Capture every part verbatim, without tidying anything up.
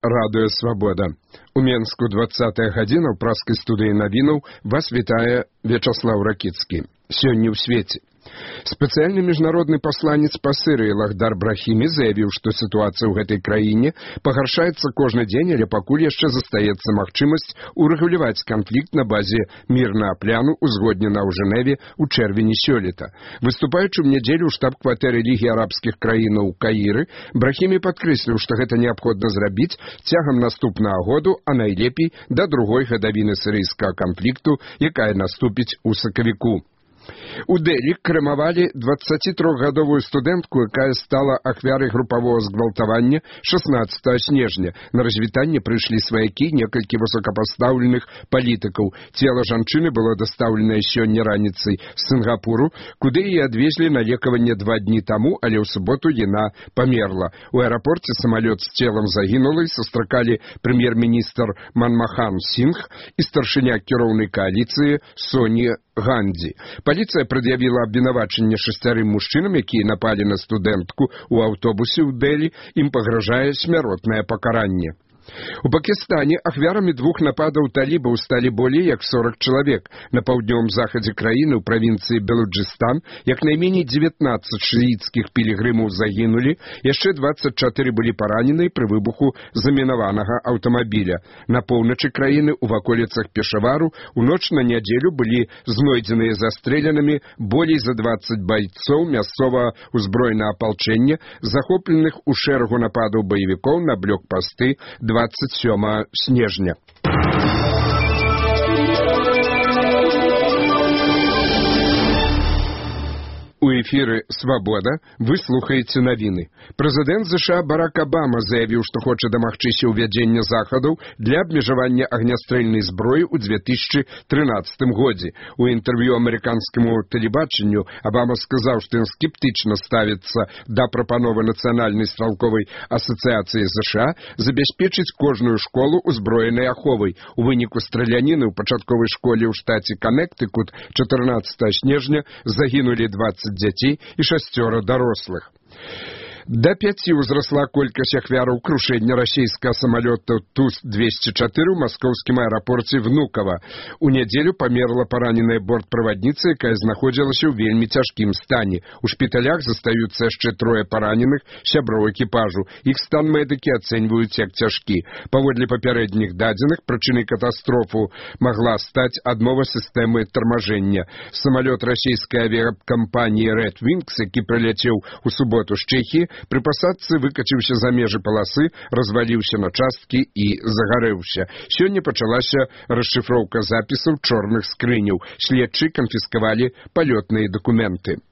Радыё Свабода. У Менску двадцатая гадзіна ў праскай студыі навінаў вас вітае Вячаслаў Ракіцкі. Сёння ў свеце. Спецыяльны міжнародны пасланец па Сірыі Лахдар Брахімі заявіў, што сітуацыя ў гэтай краіне пагаршаецца кожны дзень, але пакуль яшчэ застаецца магчымасць урэгуляваць канфлікт на базе мірнага пляну, узгодненага ў Жэневе ў чэрвені сёлета. Выступаючы ў нядзелю ў штаб-кватэры Лігі арабскіх краінаў у Каіры, Брахімі падкрэсліў, што гэта неабходна зрабіць цягам наступнага году, а найлепей да другой гадавіны сірыйскага канфлікту, якая наступіць у сакавіку. У Дэлі крэмавалі дваццацітрохгадовую студэнтку, якая стала ахвярай групавога згвалтавання шаснаццатага снежня. На развітанне прыйшлі сваякі некалькі высокапастаўленых палітыкаў. Цела жанчыны было дастаўленае сёння раніцай з Сінгапуру, куды яе адвезлі на лекаванне два дні таму, але ў суботу яна памерла. У аэрапорце самалёт з целам загінулай сустракалі прэм'ер-міністр Манмахан Сінгх і старшыня кіроўнай кааліцыі Соні Ганді. Паліцыя прад'явіла абвінавачанне шасцярым мужчынам, якія напалі на студэнтку ў аўтобусе ў Дэлі. Ім пагражае смяротнае пакаранне. У Пакістане ахвярамі двух нападаў талібаў сталі болей як сорок чалавек. На паўднёвым захадзе краіны ў правінцыі Белуджыстан як найменей дзевятнаццаць шыіцкіх пілігрымаў загінулі, яшчэ дваццаць чатыры былі паранены пры выбуху замінаванага аўтамабіля. На поўначы краіны ў ваколіцах Пешавару у ноч на нядзелю былі знойдзеныя застрэленымі болей за дваццаць байцоў мясцовага ўзброенага апалчэння, захопленых у шэрагу нападаў баевікоў на блокпасты двадцать сёмага снежня. У эфіры «Свабода» вы слухаеце навіны. Прэзідэнт ЗША Барак Абама заявіў, што хоча дамагчыся ўвядзення захадаў для абмежавання агнястрэльнай зброі ў две тысячы трынаццатым годзе. У інтэрв'ю амерыканскаму тэлебачанню Абама сказаў, што ён скептычна ставіцца да прапановы Нацыянальнай стралковай асацыяцыі ЗША забяспечыць кожную школу узброенай аховай. У выніку страляніны ў пачатковай школе ў штаце Канектыкут чатырнаццатага снежня загінулі дваццаць дзяцей і шасцёра дарослых. Да пяці ўзрасла колькасць ахвяраў крушэння расійскага самалёта Ту двесце чатыры ў маскоўскім аэрапорце Внукова. У нядзелю памерла параненая бортправадніца, якая знаходзілася ў вельмі цяжкім стане. У шпіталях застаюцца яшчэ трое параненых сяброў экіпажу. Іх стан медыкі ацэньваюць як цяжкі. Паводле папярэдніх дадзеных, прычынай катастрофу магла стаць адмова сістэмы тармажэння. Самалёт расійскай авіякампаніі Red Wings, які прыляцеў у суботу з Чэхіі, пры пасадцы выкаціўся за межы паласы, разваліўся на часткі і загарэўся. Сёння пачалася расшыфроўка запісаў чорных скрыняў. Следчы канфіскавалі палётныя дакументы.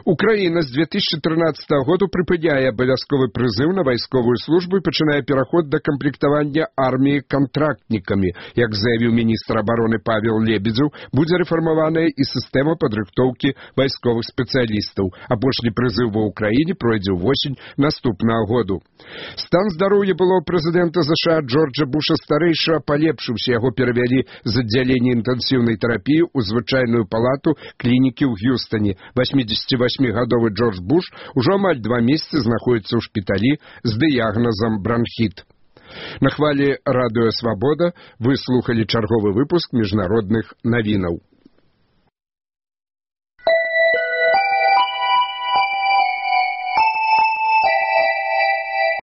Украіна з две тысячы трынаццатага году прыпыняе абавязковы прызыў на вайсковую службу і пачынае пераход да камплектавання арміі кантрактнікамі. Як заявіў міністр абароны Павел Лебедзеў, будзе рэфармаваная і сістэма падрыхтоўкі вайсковых спецыялістаў. Апошні прызыў ва ўкраіне пройдзе ўвосень наступнага году. Стан здароўя былого прэзідэнта ЗША Джорджа Буша-старэйшага палепшыўся. Яго перавялі з аддзялення інтэнсіўнай тэрапіі ў звычайную палату клінікі ў Г'юстане. восьмідзесяцівасьмігадовы Джордж Буш ужо амаль два месяцы знаходзіцца ў шпіталі з дыягназам бранхіт. На хвалі радыё «Свабода» вы слухалі чарговы выпуск міжнародных навінаў.